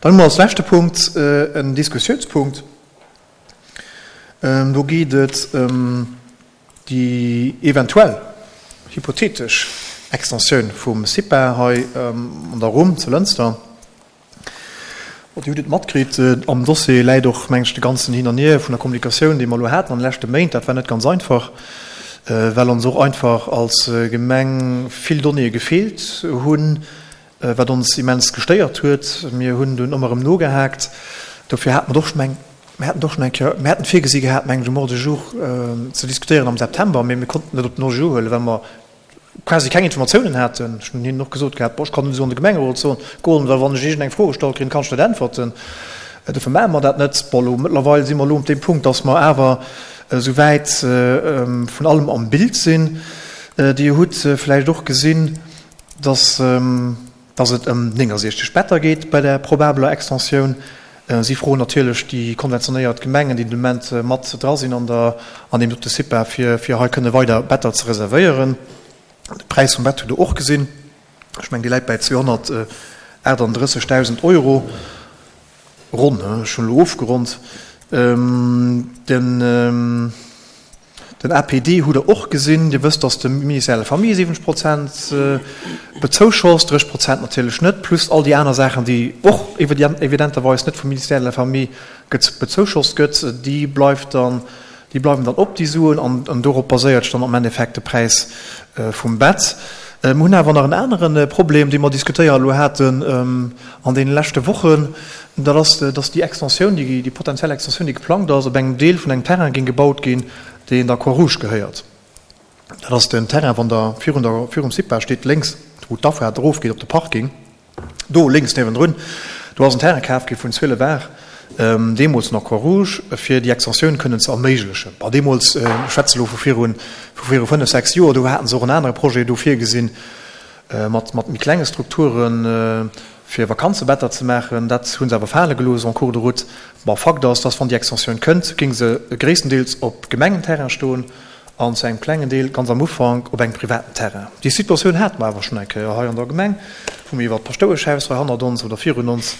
Dann hu mer als leschte Punkt en Diskussiounspunkt. Do geet et ëm déi eventuell, hypothetesch Extensioun vum CIPA hei an der Rumm zu Lënster. Dir hutt et matkritt, am Dossier läit och, mengen ech, de ganzen Hin an Hier vun der Kommunikatioun, déi mer elo haten an de leschte Méint. Dat war net ganz einfach, well ons och einfach als Gemeng vill Donnéeë gefeelt hunn, wat ons immens gestéiert huet. Mir hunn dunn ëmmer erëm nogehaakt. Dofir hate mer och, ech mengen, mir haten och schonn eng Kéier, mir haten virgesi gehat, mengen ech, um Ordre du jour ze diskutéieren am September, mee mir konnten net op den Ordre du jour huelen, well mer quasi keng Informatiounen haten. Ech hunn hinnen och gesot gehat, bon, ech kann net esou an de Gemengerot soen, goen, well wann ech iergendeng Fro gestallt kréien, kann ech net äntwerten. Dofir maache mer dat net. Bon, elo mëttlerweil si mer elo op deem Punkt, dass mer awer esouwäit vun allem am Bild sinn. Dir hutt vläicht och gesinn, dass dass et ëm 69 Better geet bei där probabeler Extensioun. Si froen natierlech déi konventionéiert Gemengen, déi de Moment mat dra sinn an der, an deem dote CIPA, fir, fir hei kënne weider Better ze reservéieren. De Präis vum Bett hutt Der och gesinn. Ech mengen, dee läit bäi 238.000 Euro, ronn, ech hunn elo ofgeronnt. Den. Den APD hutt Der och gesinn. Dir wësst, dass de Ministère de la Famille 70 Prozent bezouschosst, 30 Prozent natierlech net, plus all déi aner Saachen, déi och evidenterweis net vum Ministère de la Famille bezouschosst gëtt. Déi bleift dann, déi bleiwen dann op, déi Suen, an dorop baséiert sech dann am Endeffekt de Präis vum Bett. Mir hunn awer nach en anere Problem, dee mer diskutéiert elo haten an deene leschte Wochen. Dat ass, dass déi Extensioun, déi potentiell Extensioun, déi geplangt ass, op engem Deel vun engem Terrain géing gebaut ginn, deen der Croix-Rouge gehéiert. Dat ass den Terrain, wann Der virun der, virum CIPA steet, lénks, wou d'Afaart erofgeet op de Parking, do lénks niewendrun, do ass en Terrain kaf gi vun 12 Ar, deemools nach Croix-Rouge, fir déi Extensioun kënnen ze erméiglechen. Bon, deemools, ech schwätze elo vu viru, vu viru fënnef, sechs Joer, do hate se och en anere Projet do virgesinn, mat, mat méi klenge Strukturen, fir Vakanzebetter ze maachen. Dat hu se awer fale gelooss en cours de route. Bon, Fakt ass, dass wann déi Extensioun kënnt, géing se gréisstendeels op Gemengenterrain stoen an zu engem klengen Deel, ganz am Ufank, op engem privaten Terrain. Déi Situatioun hate mer awer schonn eng Kéier hei an der Gemeng, wou mir iwwert d'Paschtoueschhaus hei hannert ons oder virun ons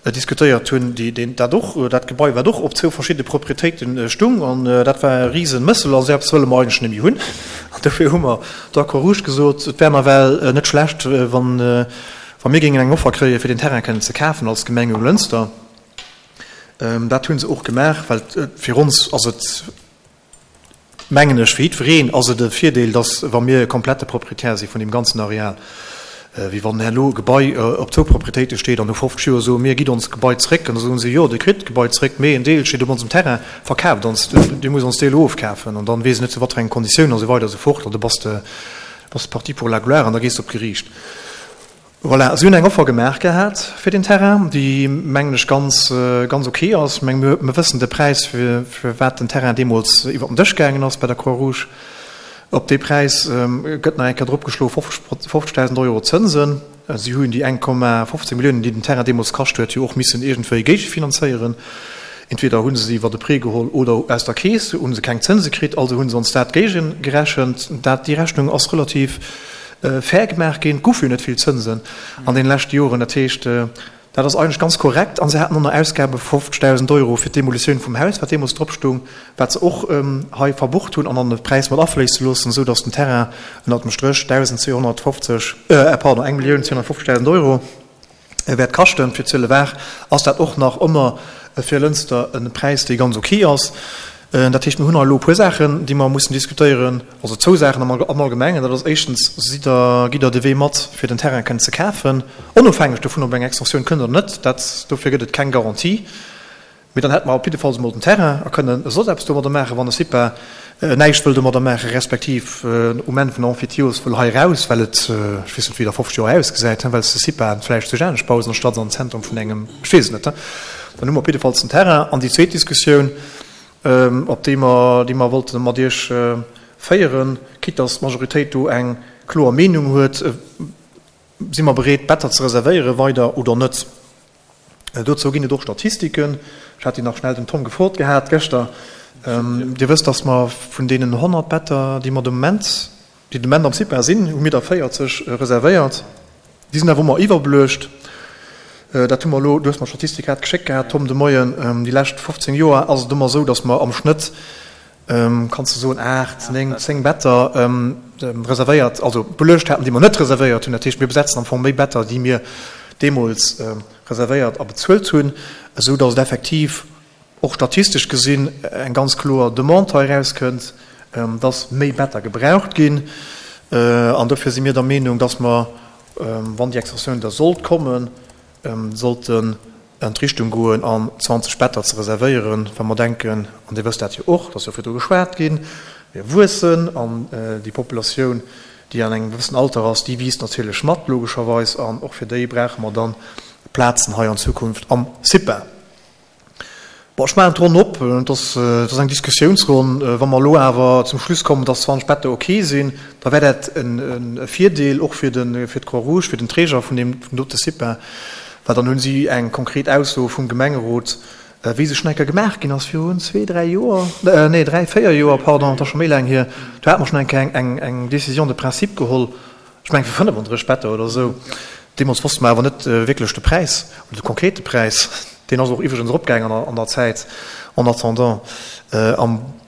diskutéiert hunn, déi, deen, dat och, dat Gebai, wat och op zwou verschidde Proprietéite stung. An dat war e Risenmëssel a sou eppes wëlle mer eigentlech net méi hunn. An dofir hu mer der Croix-Rouge gesot, et wär nawell net schlecht, wann, Wa mir géingen eng Offer kréien, fir deen Terrain kënnen ze kafen als Gemeng Jonglënster, dat hu se och gemaach, well fir ons ass et, mengen ech, fir jiddwereen ass et e Virdeel, dass wa mir komplette Proprietär si vun deem ganzen Areal, wéi wann herno e Gebai op zwou Proprietéite steet an no 50 Joer soe mir, gitt ons d'Gebai zréck, an da soen se, jo, Dir kritt d'Gebai zréck, mee en Deel steet op onsem Terrain, verkaaft ons, Dir musst ons dee elo ofkafen, an dann weess ech net zu wat fir engen Konditiounen a sou weider a sou fort, an da bass de bass de parti pour la gloire an da gees de op d'Geriicht. Voilà, si hunn eng Offer gemaach gehat fir den Terrain, déi, mengen ech, ganz, ganz ok ass. Ech menge mir, mir wëssen de Präis, fir, fir wat den Terrain deemools iwwer den Dësch gaangen ass bei der Croix-Rouge. Op dee Präis gëtt nach eng Kéier dropgeschloe 50.000 Euro Zënsen. Si hunn déi 1,15 Milliounen, déi den Terrain deemools kascht huet, jo och missen iergendwéi géigefinanzéieren. Entweder hu se se iwwer e Prêt geholl oder aus der Keess hu se keng Zënse kritt, also hu se ons dat géigegerechent. Dat, déi Rechnung ass relativ fair gemaach ginn. Et goufe jo net vill Zënsen an deene leschte Joren. Dat heescht, dat ass eigentlech ganz korrekt. A se haten och nach Ausgabe vu 50.000 Euro fir d'Demolitioun vum Haus, wat deemools drop stoung, wat se och hei verbucht hunn an an de Präis mat afléisse loossen, esou datt den Terrain ënnert dem Stréch 1.250, pardon, 1.250.000 Euro wäert kaschten. Fir Zëllewaach ass dat och nach ëmmer fir Lënster e Präis, dee ganz ok ass. Dat heescht, mir hunn hei elo e puer Saachen, déi mer mussen diskutéieren, also zwou Saachen am Allgemengen. Dat ass éischtens, Sidd Der, gitt Der de Wee mat, fir den Terrain kënnen ze kafen, onofhängeg dovun, ob eng Extensioun kënnt oder net? Dat, dofir gëtt et keng Garantie. Mee dann hätte mer op jiddefalls emol den Terrain a kënnen soss eppes domadder maachen, wann de CIPA näischt wëll domadder maachen, respektiv um Enn vun der Emphytiose wëll hei eraus, well et, ech weess net, wéi et a 50 Joer ausgesäit, well s de CIPA vläicht sech anescht baus anstatt an den Zentrum vun engem, ech weess et net. Dann hu mer op jiddefalls den Terrain. An déi zweet Diskussioun, op déi mer, déi mer wollte mat Iech féieren, quitte dass d'Majoritéit do eng kloer Meenung huet, Si mer bereet, Better ze reservéieren weider oder net? Dozou ginn et och Statistiken. Ech hat déi nach schnell dem Tom gefrot gehat gëschter. Dir wësst, dass mer vun deenen 100 Better, déi mer de Moment, déi de Moment am CIPA sinn, hu mir der 40 reservéiert. Déi sinn awer ëmmer iwwerbeluecht. Dat hu mer elo, du hues mer d'Statistik grad geschéckt gehat, Tom, de Moien, déi lescht 15 Joer ass et ëmmer esou, datt mer am Schnëtt, kanns de soen, 8, 9, 10 Better reservéiert, also beluecht haten, déi mer net reservéiert hunn. Dat heescht, mir besetzen am Fong méi Better, déi mir deemools reservéiert a bezuelt hunn, esou datt et effektiv och statistesch gesinn eng ganz kloer Demande hei erauskënnt, datt méi Better gebraucht ginn. An dofir si mir der Meenung, datt mer, wann déi Extensioun da sollt kommen, sollten an d'Richtung goen an 20 Better ze reservéieren, well mer denken, an Dir wësst dat jo och, et ass jo virdru geschwat ginn, mir wuessen an déi Populatioun, déi an engem gewëssen Alter ass, déi wiisst natierlech mat, logescherweis, an och fir déi brauche mer dann Plazen hei an Zukunft am CIPA. Bon, ech maachen d'Ronn op. Et ass, et ass eng Diskussiounsronn. Wa mer elo awer zum Schluss kommen, dass 20 Better ok sinn, da wär dat e Virdeel och fir de, fir d'Croix-Rouge, fir den Träger vun deem, vum dote CIPA, well dann hu si eng konkret Ausso vum Gemengerot, wéi se schonn eng Kéier gemaach ginn ass virun zwee, dräi Joer, nee, dräi, véier Joer, pardon, et ass scho méi laang hier, do hate mer schonn eng Kéier eng, eng Décision de principe geholl, Ech mengen fir 35 Better oder esou. Deemools wosste mer awer net wierklech de Präis oder de konkrete Präis. Deen ass och iwwregens eropgaangen an der Zäit en attendant.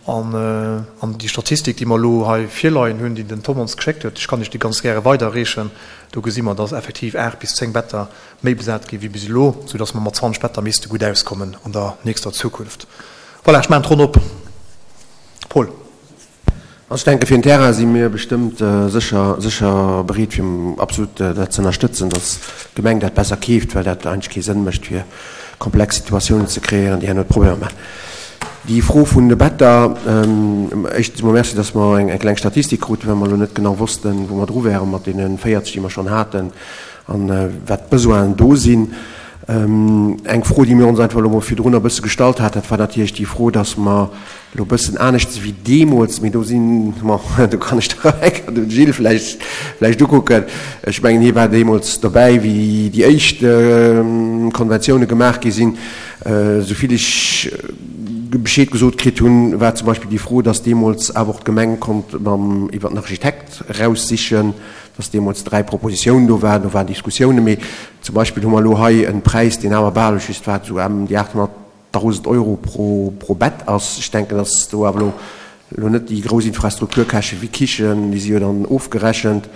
An déi Statistik, déi mer elo hei virleien hunn, déi den Tom ons geschéckt huet, ech kann Iech déi ganz gäre weiderreechen, do gesi mer, dass effektiv 8 bis 10 Better méi besat gi wéi bis elo, soudass mer mat 20 Better misste gutt auskommen an der nächster Zukunft. Voilà, ech maachen d'Ronn op. Paul. Also ech denke fir den Terrain si mir bestëmmt sécher sécher bereet fir absolut dat ze ënnerstëtzen, datt d'Gemeng dat besser keeft, well dat eigentlech kee Sënn mécht fir komplex Situatiounen ze kreéieren, déi herno Problemer maachen. Déi Fro vun de Better, éischtens emol Merci, datt mer eng kleng Statistik kruten, well mer elo net genau wossten, wou mer dru wäre mat deene 40, déi mer schonn haten an wat d'Besoinen do sinn. Eng Fro, déi mir ons einfach elo mol virdrun e bësse gestallt hat, dat war natierlech déi Fro, datt mer Elo e bëssen anescht wéi deemools, mee do sinn, bon, do kann ech der eng Kéier de Gilles vläicht, vläicht ukucken. Ech mengen, hie war deemools dobäi, wéi déi éischt Konventioune gemaach gi sinn. Esou vill ech Bescheed gesot kritt hunn, war zum Beispill déi Fro, dass deemools awer och d'Gemeng konnt mam, iwwer den Architekt eraussichen, dass deemools 3 Propositiounen do waren, do waren Diskussiounen. Mee zum Beispill hu mer elo hei e Präis, deen awer bal, ech just wat, esou ëm déi 800, 1.000 Euro pro Bett ass. Ech denken, dass do awer elo elo net déi grouss Infrastrukturkäschte wéi Kichen, déi si jo dann ofgerechent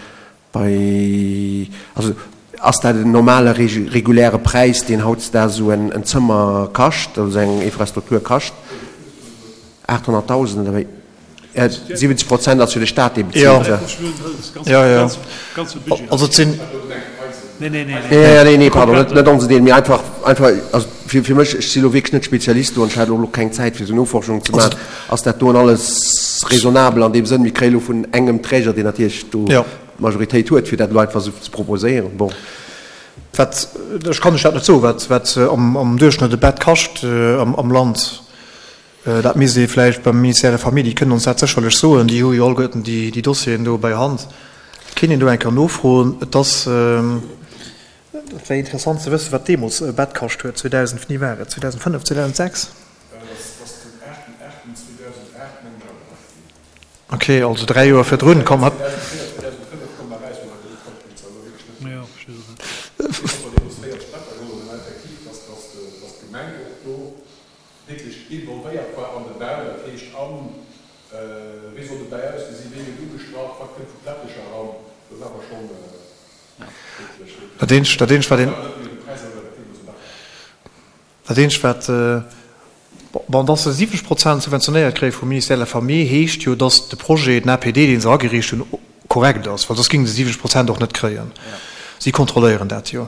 bei, also ass dat en normale reguläre Präis, deen hautdesdaags esou en Zëmmer kascht, also eng Infrastruktur kascht? 800.000 oder wéi? 70 Prozent ass jo de Staat, dee bezilt. Jo, jo. Also et sinn. Nee, nee, pardon, net onsen Deel, mee einfach, einfach, also fir, fir mech, ech si lo wierklech net Spezialist do an ech hat och elo keng Zäit, fir esou Noforschungen ze maachen. Ass dat doen alles raisonnabel an deem Sënn, mir kréie lo vun engem Träger, deen natierlech do d'Majoritéit huet, fir dat elo einfach esou ze proposéieren, bon. Wat, ech kann lech dat net soen, wat, wat am Duerchschnëtt e Bett kascht am Land. Dat misst ee vläicht beim Ministère de la Famille, déi kënnen ons dat sécherlech soen, déi hu jo alleguerten déi Dossieren do bei Hand. Et kéint een do eng Kéier nofroen. Et ass, et wär interessant ze wëssen, wat deemools e Bett kascht huet, 2000, wéini war et, 2005, 2006? Ok, also 3 Joer virdrun. Komm, hat. Wierklech involvéiert war an de Bau, dat heescht an, wéi soll de Bau ausgesinn, wéi gëtt ugestrach, wat kënnt vu Plättecher eran, do war mer schonn wierklech, wierklech. Dat eenzegt, dat eenzegt wat een, dat eenzegt wat, bon, dass se 70 Prozent subventionéiert kréie vum Ministère de la Famille, heescht jo, dass de Projet, den APD, dee se agereecht hunn, korrekt ass, well soss géinge se 70 Prozent och net kréien. Si kontrolléieren dat jo.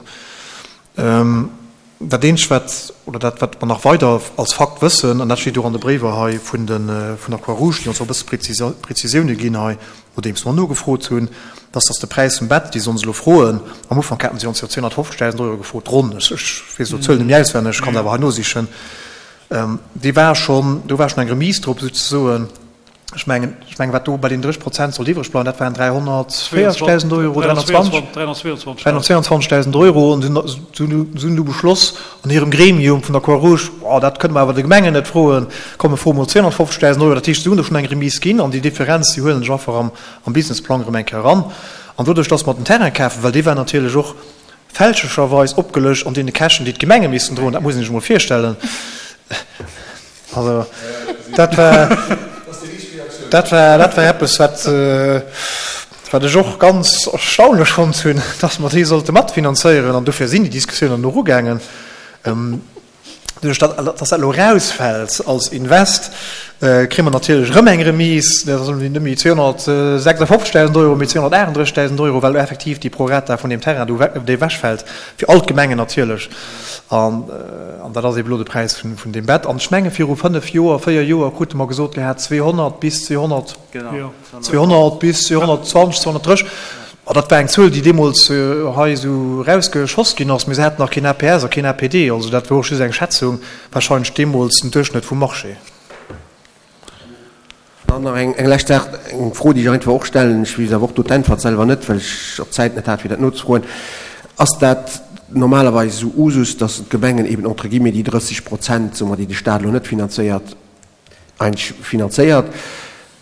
Dat eenzegt wat, oder dat wat mer nach weider als Fakt wëssen, an dat steet och an de Bréiwer hei vun de vun der Croix-Rouge, déi ons och e bësse Prezisioune ginn hei, nodeems mer nogefrot hunn, dass dass de Präis vum Bett, déi se ons elo froen, am Ufank haten si ons jo 250.000 Euro gefrot, ronn, ech weess elo d'Zuel net méi auswenneg, ech kann se awer hei nosichen, dee war schonn, do war schonn eng Remise drop souzesoen. Ech mengen, ech mengen, wat do bei den 30 Prozent sollt iwwreg bleiwen, dat waren 340.000 Euro, 320? 322.000 Euro. An si hunn du beschloss an hirem Gremium vun der Croix-Rouge, Oh, dat kënne mer awer de Gemengen net froen, komm mir froe mol 250.000 Euro. Dat heescht, si hunn do schonn eng Remise ginn an déi Differenz, déi huelen sech einfach am Businessplang erëm eng Kéier eran. An doduerch, dass mer den Terrain kafen, well dee war natierlech och. Fälschlecherweis opgelëscht an deene Käschten, déi d'Gemenge missten droen. Dat muss een sech emol virstellen. Also dat war, dat war, dat war eppes, wat, wat ech och ganz erstaunlech fonnt hunn, dass mer déi sollte matfinanzéieren. An dofir sinn déi Diskussiounen och ugaangen. Doduerch datt dat elo erausfält als Invest, kréie mer natierlech erëm eng Remise, dat ass net méi 256.000 Euro, mee 238.000 Euro, well effektiv déi Prorata vun deem Terrain do dee ewechfält, fir all d'Gemengen natierlech. An dat ass eeben elo de Präis vun deem Bett. An ech menge viru fënnef Joer, véier Joer krute mer gesot gehat, 200 bis 200, 200 bis 220, 230. Ma dat war eng Zuel, déi deemools hei esou erausgeschoss ginn ass. Mee se haten nach keen APS a keen APD. Also dat wor och just eng Schätzung, wahrscheinlech deemools den Duerchschnëtt vum Marché. Dann nach eng lescht Saach, eng Fro, déi ech einfach och stellen. Ech weess awer och do d'Äntwert selwer net, well ech och d'Zäit net hat, fir dat nozefroen. Ass dat normalerweis esou Usus, dass d'Gemengen eben entre guillemets déi 30 Prozent, soe mer, déi de Stat elo net finanzéiert, eigentlech finanzéiert?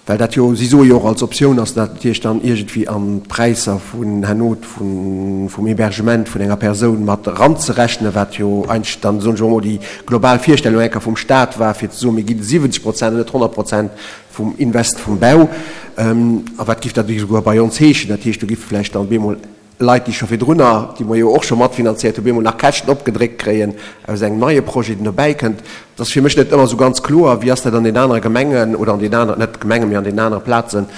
Well dat jo, si soe jo och als Optioun ass dat natierlech dann iergendwéi an d'Präisser vun herno vum Hébergement vun enger Persoun mat eranzerechnen, wat jo eigentlech dann, soen ech emol, déi global Virstellung eng Kéier vum Stat war, fir ze soen, mir ginn 70 Prozent an net 100 Prozent vum Invest vum Bau. A wat géif dat esouguer bei ons heeschen? Dat heescht, do géife vläicht dann op eemol Leit, déi scho virdrunner, déi mer jo och scho matfinanziert hunn, op eemol nach Käschten opgedréckt kréien aus engem neie Projet, deen dobäi kënnt. Dat ass fir mech net ëmmer esou ganz kloer. Wéi ass dat an den anere Gemengen oder an den aneren, net Gemengen, mee an den anere Plazen?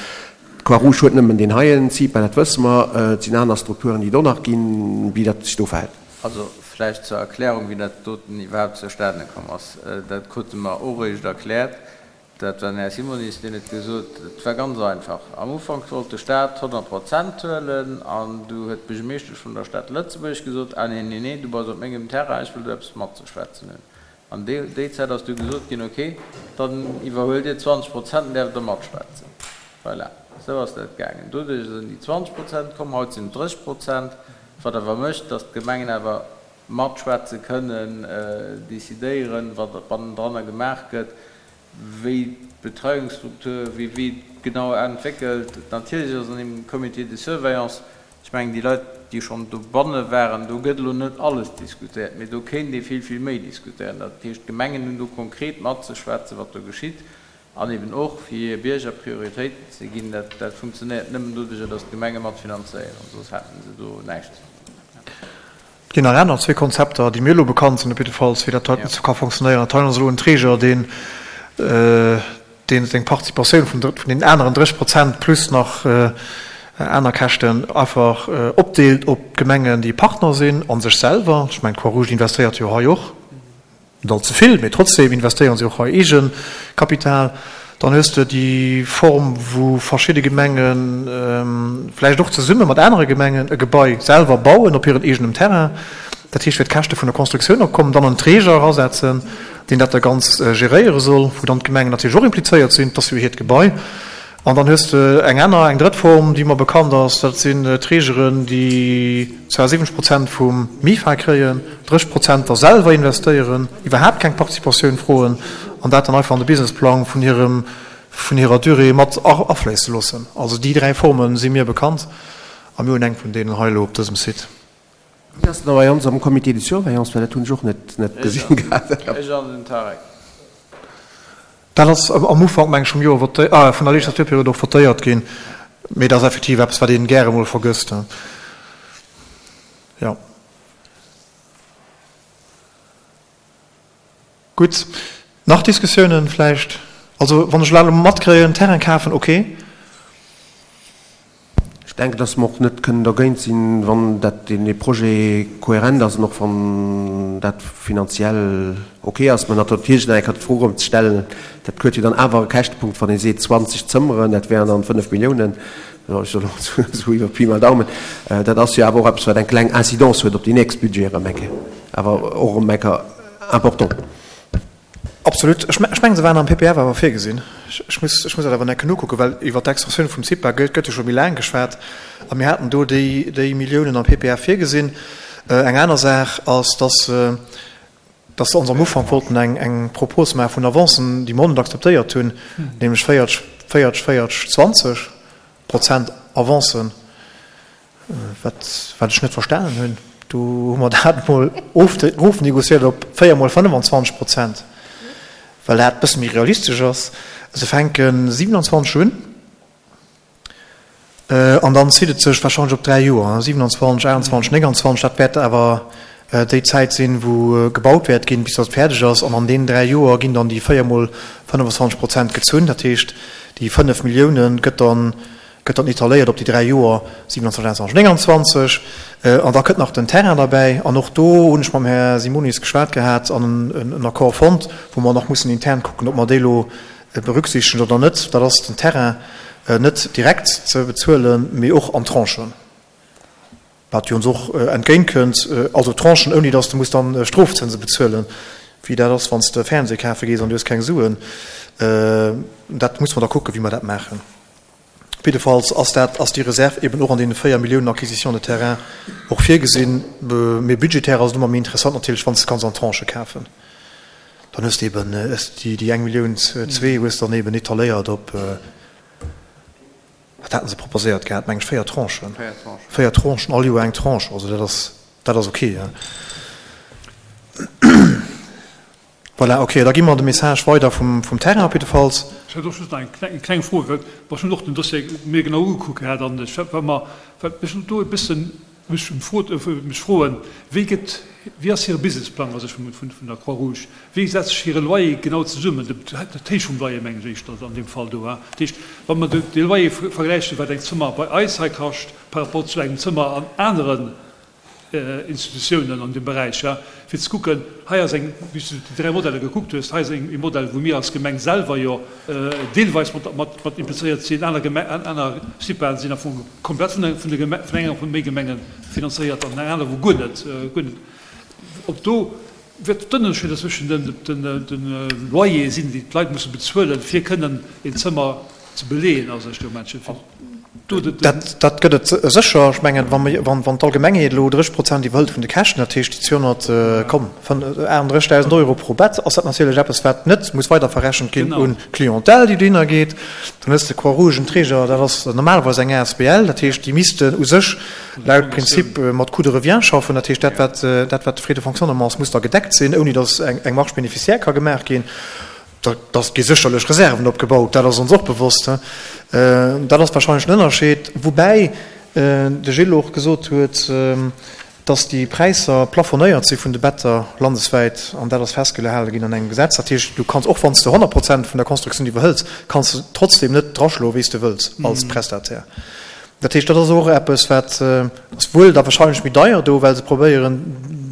D'Croix-Rouge huet nëmmen deen heien CIPA, dat wësse mer. Et sinn aner Strukturen, déi et och nach ginn. Wéi dat sech do verhält. Also vläicht zur Erklärung, wéi dat doten iwwerhaapt zustane komm ass. Dat krute mer och eréischt erkläert. Dat war den Här Simonis, deen huet gesot, et war ganz einfach. Am Ufank wollt de Staat 100 Prozent huelen an du huet d'Buergermeeschtesch vun der Stad Lëtzebuerg gesot, ah nee, nee, nee, du bass op mengem Terrain, ech wëll do eppes matzeschwätzen hunn. An déi déi Zäit ass du gesot ginn, okay, dann iwwerhuelt Dir 20 Prozent an däerft der matschwätzen. Voilà, esou ass dat gaangen. Doduerch sinn déi 20 Prozent komm, haut sinn et 30 Prozent, wat awer mécht, datt d'Gemengen awer matschwätze kënnen, decidéieren, wat bannendranner gemaach gëtt. wéi d'Betreiungsstruktur, wéi wéi genau entwéckelt. Natierlech ass an deem Comité de surveillance, ech mengen déi Leit, déi schonn dobanne waren, do gëtt elo net alles diskutéiert, mee do kéint ee vill, vill méi diskutéieren. Dat heescht, d'Gemengen hunn do konkret matzeschwätzen, wat do geschitt, an eben och fir hir Bierger Prioritéiten ze ginn. Dat, dat funktionéiert nëmmen doduerjer, datt d'Gemenge matfinanzéieren, soss hätte se do näischt ze soen. Et ginn nach aner zwee Konzepter, déi mir elo bekannt sinn op jiddefalls, wéi dat heiten ka fonctionnéieren. Dat heiten ass elo en Träger, deen, deen seng Participatioun vun deenen aneren 30 Prozent plus nach aner Käschten einfach opdeelt op d'Gemengen, déi Partner sinn, a sech selwer. Ech mengen, d'Croix-Rouge investéiert jo hei och. Net all ze vill, mee trotzdem investéieren si och hei Eegekapital. Dann hues de déi Form, wou verschidde Gemenge vläicht och zesumme mat anere Gemengen e Gebai selwer bauen op hiren eegenem Terrain, dat heescht fir d'Käschte vun der Constructioun opkommen, dann en Träger erasetzen, deen dat da ganz geréiere soll, wou dann d'Gemengen natierlech och implizéiert sinn, et ass jo hiert Gebai. An dann hues de eng aner, eng drëtt Form, déi mer bekannt ass, dat sinn Trägeren, déi zwar 70 Prozent vum MIFA kréien, 30 Prozent da selwer investéieren, iwwerhaapt keng Participatioun froen an dat dann einfach an de Businessplang vun hirem, vun hirer Durée mat afléisse loossen. Also déi dräi Forme si mir bekannt a mir hunn eng vun deenen hei elo op dësem Site. Wien ass denn da bei ons am Comité de surveillance, well dat hunn ech och net gesinn gehat. Ech an den Tarek. Dat ass am Ufank, meng ech, vum Joer voté, ah, vun der Legislaturperiod och votéiert ginn. Mee dat ass effektiv eppes, wat ee gäre mol vergësst. Jo. Gutt. Nach Diskussiounen vläicht? Also, wann ech elo matkréien, Terrain kafen, okay. Ech denken, dass mer och net kënnen dergéint sinn, wann dat dee Projet kohärent ass an och wann dat finanziell ok ass. Mä natierlech nach eng Kéier d'Fro erëm ze stellen, dat huet jo dann awer e Käschtepunkt, wann ee seet 20 Zëmmeren, dat wären dann 5 Milliounen, ech soen elo esou iwwer Pi mal Daumen, dat ass jo awer och eppes, wat eng kleng Incidence huet op déi nächst Budgete erëm eng Kéier, awer och erëm eng Kéier important. Absolut. Ech mengen, se waren am PPF awer virgesinn. Ech muss, ech muss dat awer nach nokucken, well iwwert d'Extensioun vum CIPA gëtt, gëtt jo scho méi laang geschwat a mir haten do déi, déi Milliounen am PPF virgesinn. Eng aner Saach ass, dass, dass se ons am Ufank wollten eng, eng Propos maache vun Avancen, déi mer och net akzeptéiert hunn, nämlech 40, 40, 40, 20 Prozent Avancen, wat, wat ech net verstanen hunn. Do hu mer dat emol erofnegociéiert op 4 mol 25 Prozent, well dat e bësse méi realistesch ass. Se fänke 27 un an dann zitt et sech warscheinlech op 3 Joer, 27, 28, 29. Dat wäert awer déi Zäit sinn, wou gebaut wäert ginn, bis datt et fäerdeg ass. An an deenen 3 Joer ginn dann déi 4 mol 25 Prozent gezunn. Dat heescht, déi 5 Millioune gëtt dann Gëtt dann etaléiert op déi 3 Joer, 27, 28, 29. An da kënnt nach den Terrain derbäi. An och do hunn ech mam Här Simonis geschwat gehat an en Accord fonnt, wou mer nach mussen intern kucken, ob mer déi elo berücksichtegen oder net. Dat ass den Terrain net direkt ze bezuelen, mee och an Tranchen. Wat jo ons och entgéint kënnt, also Tranchen, ouni datt s de muss dann Strofzënse bezuelen, wéi dat ass, wann s de Fernseh kafe gees an du hues keng Suen. Dat muss mer da kucken, wéi mer dat maachen. Op jiddefalls ass dat, ass déi Reserv eben och an deene 4 Milliounen Acquisition de terrain och virgesinn. Mee budgetär ass et ëmmer méi interessant natierlech, wann s de kanns an Tranchë kafen. Dann hues de eben déi eng Millioun, zwee hues dann eben etaléiert op. Wat haten se proposéiert gehat? Meng ech 4 Tranchen. 4 Tranchen, all Joer eng Tranche. Also dat ass, dat ass ok. Voilà, ok, da gi mer de Message weider vum, vum Terrain op jiddefalls. Ech hätt och just nach eng kleng Fro, well ech hunn och den Dossier mir genau ugekuckt gehat an ech war mer, wat mech do e bëssen mech emfrot, mech froen, wéi gëtt, wéi ass hire Businessplang a sech vun, vun der Croix-Rouge? Wéi setzt sech hire Loyer genau zesummen? Dat héich vum Loyer mengen ech éischter an deem Fall do. Dat heescht, wa mer de Loyer vergläichen, wat eng Zëmmer bei eis hei kascht par rapport zu engem Zëmmer an aneren Institutiounen an deem Beräich, fir ze kucken, hei ass eng, wéi s du déi 3 Modeller gekuckt hues, hei ass e Modell, wou mir als Gemeng selwer jo deelweis mat implizéiert sinn, aner aner CIPAen sinn am Fong komplett vun de vun enger vun méi Gemenge finanzéiert an eng aner, wou guer net, guer net. Ob do wat d'Ënnerscheeder zwëschen de Loyere sinn, déi d'Leit musse bezuelen, fir kënnen een Zëmmer ze beleeën a sech do Menschen fir do de. Dat gëtt et sécher. Ech mengen, wa mir, wann d'Allgemengheet elo 30 Prozent iwwerhëlt vun de Käschten, dat heescht déi 200, komm, 38.000 Euro pro Bett, ass dat natierlech eppes, wat net muss weiderverrechent ginn un d'Clientèle, déi dohinner geet. Dann hues de Croix-Rouge, en Träger, dat ass normalerweis eng asbl, dat heescht, déi missten u sech laut Prinzip mat Coût de revient schaffen, dat heescht, dat wat, dat wat de Frais de fonctionnement ass, muss da gedeckt sinn, ouni datt eng Marge bénéficiaire ka gemaach ginn. Da gi sécherlech Reserven opgebaut, dat ass ons och bewosst. Dat ass wahrscheinlech den Ënnerscheed, woubäi de Gilles och gesot huet, dass déi Präisser plafonnéiert si vun de Better landeswäit an dat ass festgehale ginn an engem Gesetz. Dat heescht, du kanns, och wann s de 100 Prozent vun der Constructioun iwwerhëls, kanns de trotzdem net draschloen, wéi s de wëlls als Prestataire. Dat heescht, dat ass och eppes, wat ass wuel da wahrscheinlech méi deier do, well se probéieren,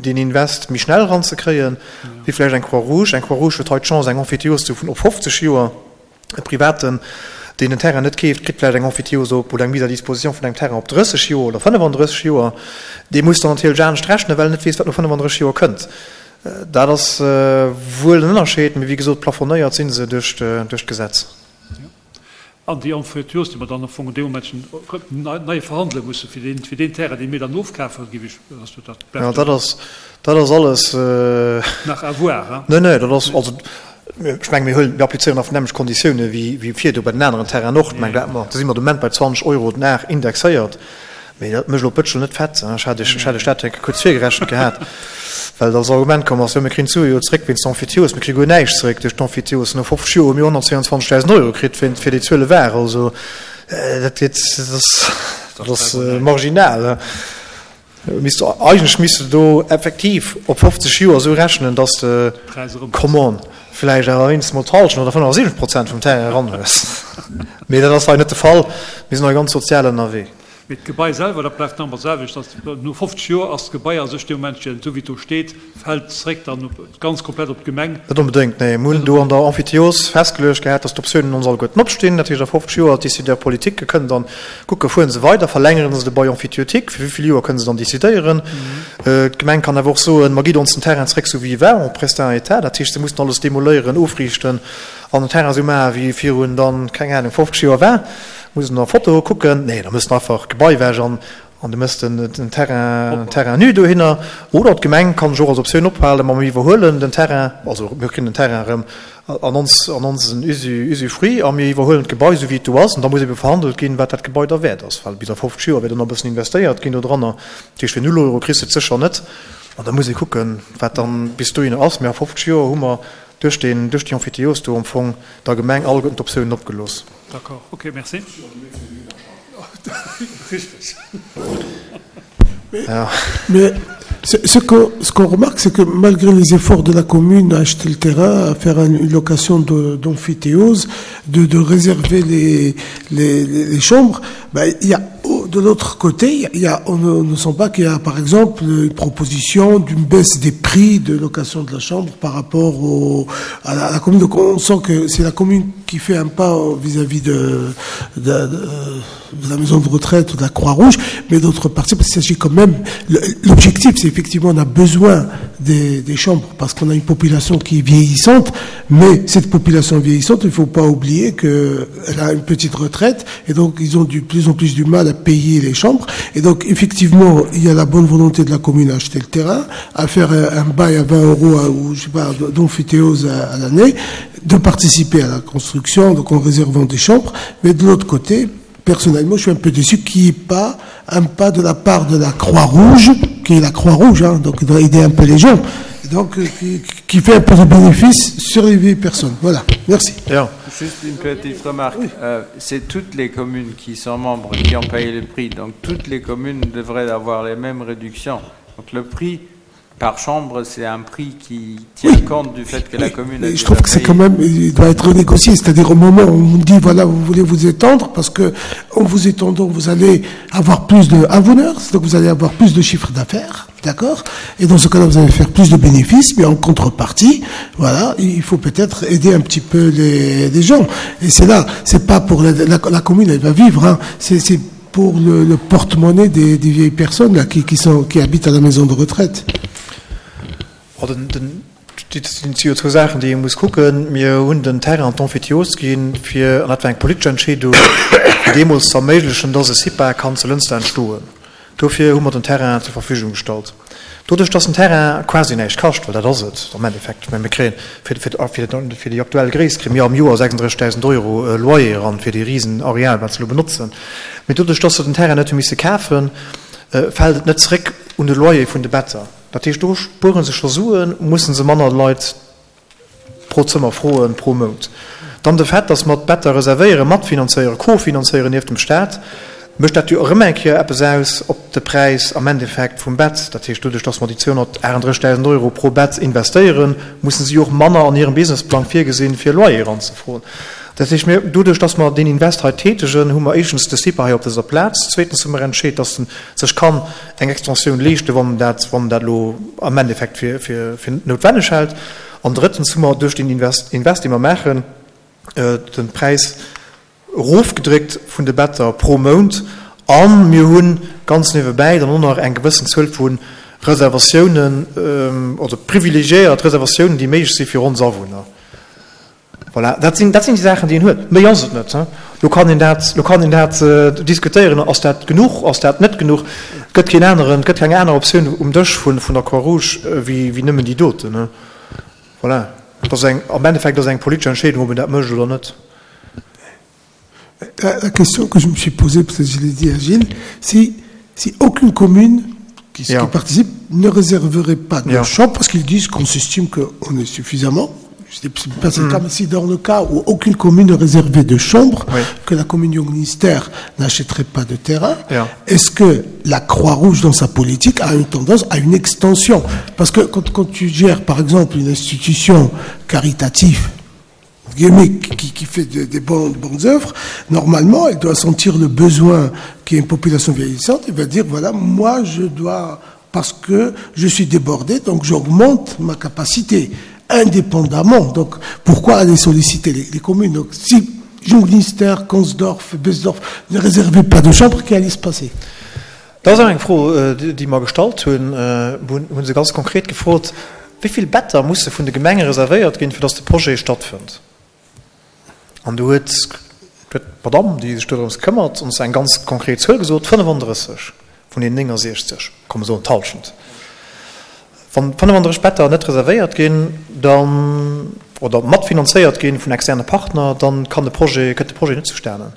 deen Invest méi schnell eranzekréien, wéi vläicht eng Croix-Rouge. Eng Croix-Rouge huet hei d'Chance, eng Emphytéose ze hu vun op 50 Joer. E Privaten, deen en Terrain net keeft, kritt vläicht eng Emphytéose op oder eng Mise à disposition vun engem Terrain op 30 Joer oder 35 Joer. Dee muss dann natierlech anescht rechnen, well en net weess, wat no 35 Joer kënnt. Dat ass wuel en Ënnerscheed, mee wéi gesot, plafonnéiert si se duerch d'Gesetz. An déi Emphytéose, déi mer dann am Fong an deem Moment nei verhandele musse fir deen, fir deen Terrain, dee mir dann ofkafen, géif ech, ass dat bleift. Jo, dat ass, dat ass alles. Nach à voir, hein? Nee, nee, dat ass, also ech menge mir huelen, mir applizéieren einfach d'nämmlecht Konditioune wéi, wéi virdu bei den aneren Terrainen och. Ech meng, dat mer, do si mer de Moment bei 20 Euro den Ar indexéiert. Mee dat mécht elo d'Bëtschel net fett. Ech hat Iech, ech hat Iech dat eng Kéier kuerz virgerechent gehat, well et als Argument komm ass, jo mir kréien d'Sue jo zréck wéinst Emphytéose. Mir kréie guer näischt zréck duerch d'Emphytéose. No 50 Joer hu mir 122.000 Euro kritt fir, fir déi Zuele war. Also dat geet, dat ass, dat ass marginal. Misst, eigentlech misst de do effektiv op 50 Joer esou rechnen, dass de, come on, vläicht awer wéinstens mol d'Hallschent oder 75 Prozent vum Terrain eran hues. Mee dat ass hei net de Fall. Mir sinn hei ganz sozial ënnerwee. Mee d'Gebai selwer, dat bleift nach ëmmer d'selwecht, dass no 50 Joer ass d'Gebai a sech dee Momentchen, esou wéi et do steet, fält zréck dann op, ganz komplett op d'Gemeng. Net onbedéngt, nee. Mir hunn do an der Emphytéose festgeluecht gehat, dass d'Optiounen ons alleguerten opstinn. Dat heescht, a 50 Joer, d'Décideurs politiques kënnen dann kucken, fueren se weider, verlängeren se de Bail emphytéotique, fir wéi vill Joer kënnen se dann décidéieren. D'Gemeng kann awer och soen, ma gitt ons den Terrain zréck esou wéi e war, en prestin état. Dat heescht, se mussen alles demoléieren, ofriichten an den Terrain esou maachen, wéi e virun dann, keng Ahnung, 50 Joer war. Muss en a Fotoe kucken? Nee, da muss en einfach d'Gebai ewech an. An du mëss den Terrain, Terrain nu dohinner. Oder d'Gemeng kann sech och als Optioun ophalen, ma mir iwwerhuelen den Terrain, also mir kréien den Terrain erëm an ons, an onsen Usu, Usufruit a mir iwwerhuelen d'Gebai esou wéi et do ass. An da muss ebe verhandelt ginn, wat dat Gebai da wäert ass, well bis a 50 Joer wäert och nach e bëssen investéiert ginn dodranner. Dat heescht, fir null Euro kriss de et sécher net. An da muss ee kucken, wat dann bis dohinner ass. Mee a 50 Joer hu mer duerch deen, duerch déi Emphytéose do am Fong der Gemeng alleguerten d'Optiounen opgelooss. D'accord, ok, merci. Richtig. Mais ce qu'on ce qu'on remarque, c'est que malgré les efforts de la commune à acheter le terrain, à faire une location d'amphithéose, de, de réserver les, les, les chambres, ben, il y a de l'autre côté, il y a, on ne, ne sent pas qu'il y a par exemple une proposition d'une baisse des prix de location de la chambre par rapport au, à, la, à la commune. Donc on sent que c'est la commune qui fait un pas vis-à-vis de, de, de, de la maison de retraite ou de la Croix-Rouge, mais d'autre partie, parce qu'il s'agit quand même, l'objectif, c'est effectivement, on a besoin des, des chambres parce qu'on a une population qui est vieillissante, mais cette population vieillissante, il ne faut pas oublier qu'elle a une petite retraite, et donc ils ont du plus en plus du mal à payer les chambres. Et donc, effectivement, il y a la bonne volonté de la commune à acheter le terrain, à faire un, un bail à 20 euros ou, je sais pas, d'amphithéose à, à l'année, de participer à la construction, donc en réservant des chambres, mais de l'autre côté, personnellement, je suis un peu déçu qu'il n'y ait pas un pas de la part de la Croix-Rouge, qui est la Croix-Rouge, hein, donc il doit aider un peu les gens, donc qui, qui fait un peu de bénéfice sur les vieilles personnes. Voilà, merci. Bien. Juste une petite remarque. Oui. Euh, c'est toutes les communes qui sont membres qui ont payé le prix, donc toutes les communes devraient avoir les mêmes réductions. Donc le prix par chambre, c'est un prix qui tient oui. compte du fait que la commune a Je trouve que c'est quand même, il doit être renégocié, c'est-à-dire au moment où on dit, voilà, vous voulez vous étendre, parce que en vous étendant, vous allez avoir plus de abonneurs, donc vous allez avoir plus de chiffres d'affaires, d'accord Et dans ce cas-là, vous allez faire plus de bénéfices, mais en contrepartie, voilà, il faut peut-être aider un petit peu les, les gens. Et c'est là, c'est pas pour la, la, la commune, elle va vivre, hein, c'est pour le, le porte-monnaie des, des vieilles personnes là, qui, qui, sont, qui habitent à la maison de retraite. Oh, den, den, dat sinn jo zwou Saachen, déi ee muss kucken. Mir hunn den Terrain an d'Emphytéose ginn, fir, an dat war eng politesch Entscheedung, fir deemools ze erméiglechen, dass e CIPA kann zu Lënster entstoen. Dofir hu mer den Terrain zur Verfügung gestallt. Doduerch, dass den Terrain quasi näischt kascht, well dat ass et am Endeffekt, mä mir kréien fir, fir, fir, fir déi aktuell Gréisst kréie mir am Joer 36.000 Euro Loyer eran fir dee risen Areal, wat se elo benotzen. Mee doduerch, dass se den Terrain net hu misse kafen, fält et net zréck un de Loyer vun de Better. Dat heescht, do spuere se scho Suen, musse se manner Leit pro Zëmmer froen, pro Mount. Dann de Fait, dass mer d'Better reservéieren, matfinanzéieren, kofinanzéieren nieft dem Staat, mécht dat jo erëm eng Kéier eppes aus op de Präis am Endeffekt vum Bett. Dat heescht, doduerch, dass mer déi 238.000 Euro pro Bett investéieren, mussen si och manner an hirem Businessplang virgesinn, fir Loyer eranzefroen. Dat heescht, mir, doduerch, dass mer deen Invest hei tätegen, hu mer éischtens de CIPA hei op dëser Plaz, zweetens hu mer entscheet, dass en sech kann eng Extensioun leeschten, wann en dat, wann en dat elo am Endeffekt fir, fir, fir noutwenneg hält. An drëttens hu mer duerch deen Invest, Invest dee mer maachen, de Präis erofgedréckt vun de Better pro Mount. A mir hu ganz niewebäi dann och nach eng gewëssen Zuel vu Reservatiounen, also privilegiéiert Reservatiounen, déi méiglech si fir ons Awunner. Voilà, dat sinn, dat sinn déi Saachen, déi een huet. Méi ass et net. Lo kann een dat, lo kann een dat diskutéieren, ass dat genuch, ass dat net genuch? Et gëtt keen aneren, et gëtt keng aner Optioun um Dësch vun, vun der Croix-Rouge wéi, wéi nëmmen déi doten. Voilà, et ass eng, am Endeffekt ass et eng politesch Entscheedung, ob een dat mécht oder net. La, la question que je me suis posée, peut-être je l'ai dit à Gilles, si, si aucune commune qui, yeah. qui participe ne réserverait pas de yeah. chambre parce qu'ils disent qu'on s'estime qu'on est suffisamment pas mm. cas, mais si dans le cas où aucune commune ne réservait de chambre, oui. que la commune ministère n'achèterait pas de terrain, yeah. est-ce que la Croix-Rouge dans sa politique a une tendance à une extension Parce que quand, quand tu gères par exemple une institution caritative, qui, qui fait de, des bonnes, bonnes œuvres, normalement, elle doit sentir le besoin qu'il y ait une population vieillissante, elle va dire, voilà, moi, je dois, parce que je suis débordé, donc j'augmente ma capacité, indépendamment. Donc, pourquoi aller solliciter les, les communes Donc, si Junglinster, Consdorf, Besdorf ne réservaient pas de chambre, qu'allait se passer Dat ass och eng Fro, déi mer gestallt hunn. Hu se ganz konkret gefrot, Wéi vill Better musse vun de Gemenge reservéiert ginn, fir datt de Projet stattfënnt? An do huet d'Madamm, déi sech dorëms këmmert, ons eng ganz konkret Zuel gesot, 35. Vun den 69, komm mer soen d'Hallschent. Wann 35 Better net reservéiert ginn, dann, oder matfinanzéiert ginn vun externe Partner, dann kann de Projet, kënnt de Projet net zustanen.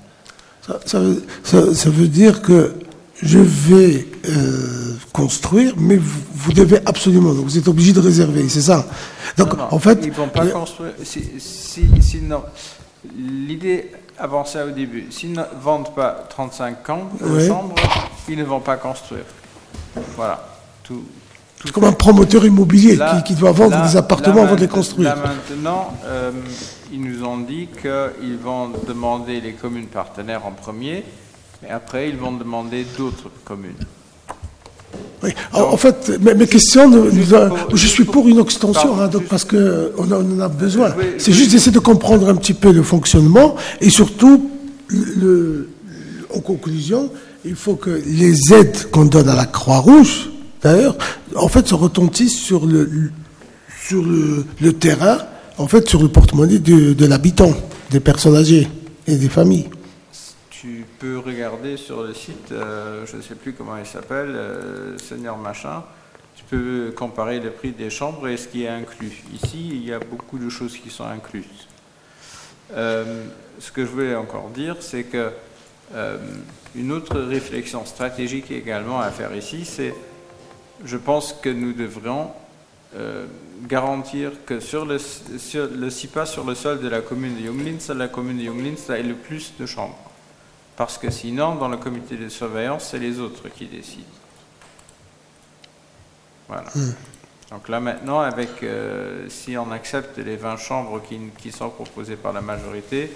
Ça, ça veut dire que je vais euh, construire, mais vous, vous devez absolument, donc vous êtes obligé de réserver, c'est ça. Donc, non, non, en fait. Ils ne vont pas construire. Si, si, si, non. L'idée avancée au début, s'ils ne vendent pas 35 chambres, oui. chambres, ils ne vont pas construire. Voilà. Tout, tout comme un promoteur immobilier là, qui, qui doit vendre là, des appartements avant de les construire. Là maintenant, euh, ils nous ont dit qu'ils vont demander les communes partenaires en premier, mais après ils vont demander d'autres communes. Oui. Donc, en fait, mes, mes questions, ne, pour, je suis pour une extension, hein, donc, parce qu'on en, en a besoin. C'est juste d'essayer de comprendre un petit peu le fonctionnement et surtout, le, en conclusion, il faut que les aides qu'on donne à la Croix-Rouge, d'ailleurs, en fait, se retentissent sur le, sur le, le terrain, en fait, sur le porte-monnaie de, de l'habitant, des personnes âgées et des familles. Tu peux regarder sur le site, euh, je ne sais plus comment il s'appelle, euh, Seigneur Machin, tu peux comparer le prix des chambres et ce qui est inclus. Ici, il y a beaucoup de choses qui sont incluses. Euh, ce que je voulais encore dire, c'est que euh, une autre réflexion stratégique également à faire ici, c'est je pense que nous devrions euh, garantir que sur le, sur le CIPA, sur le sol de la commune de Junglinster, la commune de Junglinster ait le plus de chambres. Parce que sinon, dans le comité de surveillance, c'est les autres qui décident. Voilà. Mmh. Donc là maintenant, avec, euh, si on accepte les 20 chambres qui, qui sont proposées par la majorité,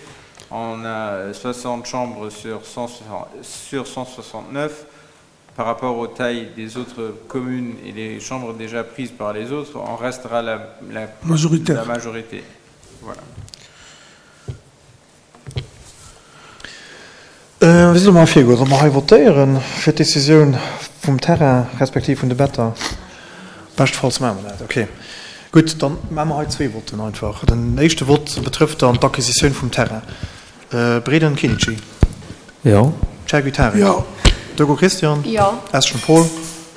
on a 60 chambres sur, 100, sur 169 par rapport aux tailles des autres communes et les chambres déjà prises par les autres, on restera la, la, la majorité. Voilà. Wéi solle mer virgoen? Solle mer hei votéieren fir d'Decisioun vum Terrain respektiv vun de Better? Beschtefalls maache mer dat. Okay. Gutt, dann maache mer hei zwee Votten einfach. Den éischte Vott betrëfft dann d'Acquisitioun vum Terrain. Breden Kinici. Jo. Chergui Tarik. Jo. Durko Christian. Jo. Eschen Paul.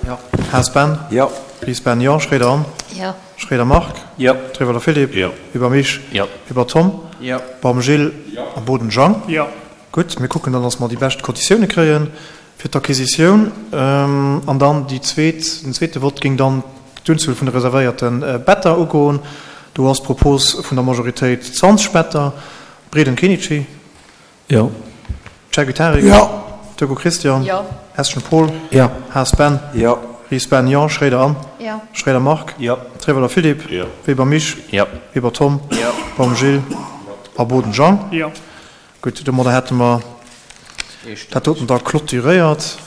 Jo. Haas Ben. Jo. Ries Ben, jo. Schroeder Anne. Jo. Schroeder Marc. Jo. Trewelder Philippe. Jo. Weber Misch. Jo. Weber Tom. Jo. Baum Gilles. Jo. A Boden Jean. Jo. Gutt, mir kucken dann, dass mer déi bescht Konditioune kréie fir d'Acquisitioun. An dann déi zweet, den zweete Vott géing dann d'Unzuel vun de reservéierte Better ugoen. Do ass d'Propos vun der Majoritéit 20 Better. Breden Kenichi. Jo. Chergui Tarik. Jo. Turko Christian. Jo. Eschen Paul. Jo. Haas Ben. Jo. Ries Ben, jo. Schroeder Anne. Jo. Schroeder Marc. Jo. Treweler Philippe. Jo. Weber Misch. Jo. Weber Tom. Jo. Baum Gilles. A Boden Jean. Jo. Gutt, domadder hätte mer dat doten da clôturéiert.